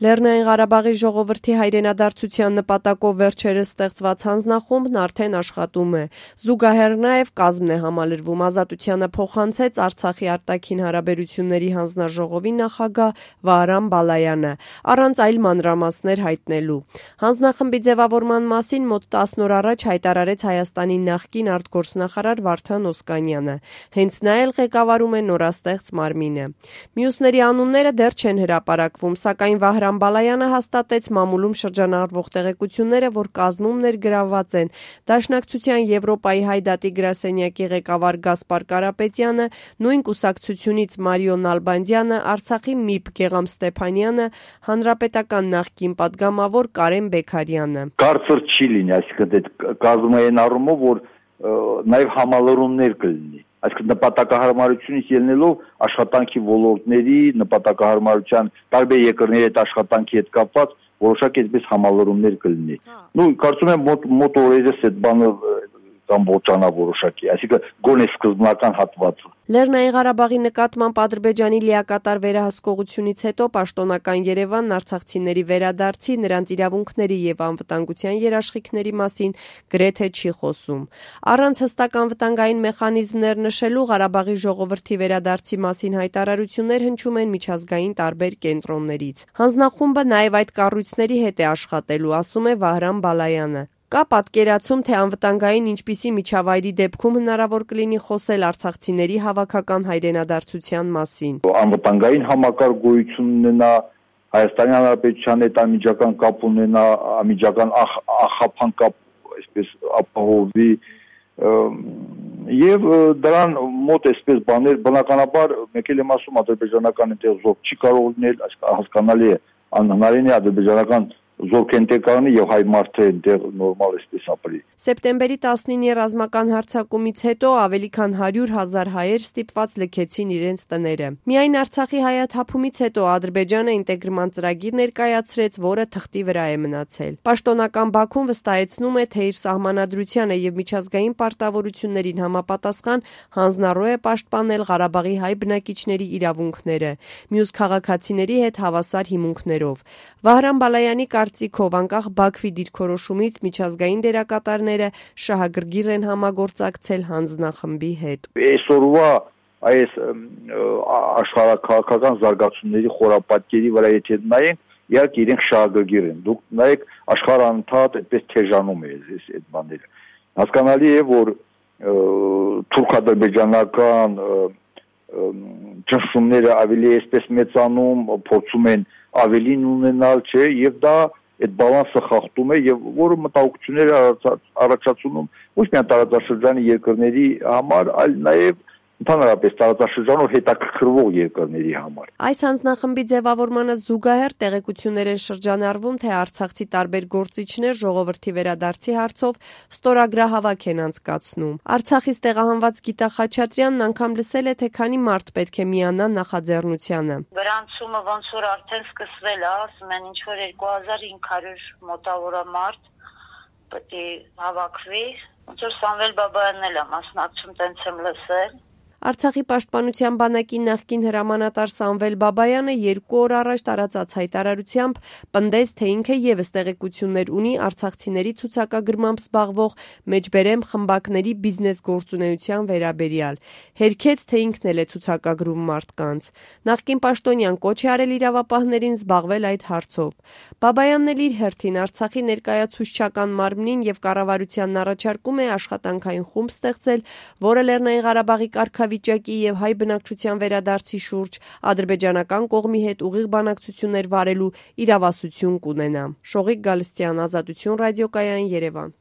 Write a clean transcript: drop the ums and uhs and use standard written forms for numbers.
Լեռնային Ղարաբաղի ժողովրդի հայրենադարձության նպատակով վերջերս ստեղծված հանձնախումբն արդեն աշխատում է։ Զուգահեռ նաև կազմն է համալրվում։ Ազատությանը փոխանցեց Արցախի արտաքին հարաբերությունների հանձնաժողովի նախագահ Վահրամ Բալայանը, առանց այլ մանրամասներ հայտնելու։ Հանձնախմբի ձևավորման մասին մոտ 10 օր առաջ հայտարարեց Հայաստանի նախկին արտգործնախարար Վարդան Օսկանյանը։ Հենց նա էլ ղեկավարում է նորաստեղծ մարմինը։ Մյուսների անունները դեռ չեն հրապարակվում, սակայն Վահրամ Բալայանը հաստատեց մամուլում շրջանառվող տեղեկությունները, որ կազմում ներգրավված են Դաշնակցության Եվրոպայի հայ դատի գրասենյակի ղեկավար Գասպար Կարապետյանը, նույն կուսակցությունից Մարիո Նալբանդյանը, Արցախի ՄԻՊ Գեղամ Ստեփանյանը, Հանրապետական նախկին պատգամավոր Կարեն Բեքարյանը։ Կարծր չի լինի, այսինքն կազմում է այն առումով, որ նաև համալրումներ կլինի։ Այսինքն նպատակահարմարությունից ելնելով աշխատանքի ոլորտների, նպատակահարմարության տարբեր երկրների հետ աշխատանքի հետ կապված որոշակի այսպես համալրումներ կլինի։ Կարծում եմ մոտ օրերս այդ բանը կամ ոչանա որոշակի, այսինքն գոնե սկզբնական հատվածը։ Լեռնային Ղարաբաղի նկատմամբ Ադրբեջանի լիակատար վերահսկողությունից հետո պաշտոնական Երևանն արցախցիների վերադարձի, նրանց իրավունքների եւ անվտանգության երաշխիքների մասին գրեթե չի խոսում։ Առանց հստակ անվտանգային մեխանիզմներ նշելու Ղարաբաղի ժողովրդի վերադարձի մասին հայտարարություններ հնչում են միջազգային տարբեր կենտրոններից։ Հանձնախումբը նաեւ այդ կառույցների հետ է աշխատելու, ասում է Վահրամ Բալայանը։ Կա պատկերացում, թե անվտանգային ինչպիսի միջավայրի դեպքում հնարավոր կլինի խոսել արցախցիների հավաքական հայրենադարձության մասին։ Անվտանգային համակարգ գոյություն ունենա, Հայաստանի Հանրապետության հետ անմիջական կապ ունենա, անմիջական ախափան կապ, այսպես ապահովի եւ դրան մոտ այսպես բաներ բնականաբար մեկ էլ եմ ասում ադրբեջանական այնտեղ զորք չի կարող լինել, հասկանալի է, անհնարին է ադրբեջանական զորք այնտեղ կանի եւ հայ մարդը այնտեղ նորմալ էսպես ապրի։ Սեպտեմբերի 19-ի ռազմական հարձակումից հետո ավելի քան 100,000 հայեր ստիպված լքեցին իրենց տները։ Միայն Արցախի հայաթափումից հետո Ադրբեջանը ինտեգրման ծրագիր ներկայացրեց, որը թղթի վրա է մնացել։ Պաշտոնական Բաքուն վստահեցնում է, թե իր սահմանադրությանը եւ միջազգային պարտավորություններին համապատասխան հանձնառու է պաշտպանել Ղարաբաղի հայ բնակիչների իրավունքները, մյուս քաղաքացիների հետ հավասար հիմունքներով։ Վահրամ Բալայանի կարծիքով անկախ Բաքվի դիրքորոշումից միջազգային դերակատարները շահագրգիռ են համագործակցել հանձնախմբի հետ։ Այսօրվա այս աշխարհաքաղաքական զարգացումների խորապատկերի վրա եթե նայենք, իհարկե իրենք շահագրգիռ են։ Դուք նայեք աշխարհը անդադ այդպես թեժանում է այդ բաները։ Հասկանալի է, որ թուրք-ադրբեջանական ճնշումները ավելի այսպես մեծանում, փորձում են ավելին ունենալ, չէ, եւ դա այդ բալանսը խախտում է եւ որը մտահոգություններ առաջացնում ոչ միայն տարածաշրջանի երկրների համար, այլ նաեւ ընդհանրապես տարածաշրջանով հետաքրքրվող երկրների համար։ Այս հանձնախմբի ձևավորմանը զուգահեռ տեղեկություններ են շրջանառվում, թե արցախցի տարբեր գործիչներ ժողովրդի վերադարձի հարցով ստորագրահավաք են անցկացնում։ Արցախից տեղահանված Գիտա Խաչատրյանն անգամ լսել է, թե քանի մարդ պետք է միանա նախաձեռնությանը։ Գրանցումը ոնց որ արդեն սկսվել է, ասում են ինչ որ 2500 մոտավորը մարդ պետք է հավաքվի, ոնց որ Սամվել Բաբայանն էլ է մասնակցում, տենց եմ լսել։ Արցախի պաշտպանության բանակի նախկին հրամանատար Սամվել Բաբայանը 2 օր առաջ տարածած հայտարարությամբ պնդեց, թե ինքը ևս տեղեկություններ ունի արցախցիների ցուցակագրմամբ զբաղվող մեջբերեմ խմբակների բիզնես գործունեության վերաբերյալ։ Հերքեց, թե ինքն էլ է ցուցակագրում մարդկանց։ Նախկին պաշտոնյան կոչ է արել իրավապահներին զբաղվել այդ հարցով։ Բաբայանն էլ իր հերթին Արցախի ներկայացուցչական մարմնին եւ կառավարությանն առաջարկում է աշխատանքային խումբ ստեղծել, որը Լեռնային Ղարաբաղի կարգավիճակի եւ հայ բնակչության վերադարձի շուրջ ադրբեջանական կողմի հետ ուղիղ բանակցություններ վարելու իրավասություն կունենա։ Շողիկ Գալստյան, Ազատություն ռադիոկայան, Երևան։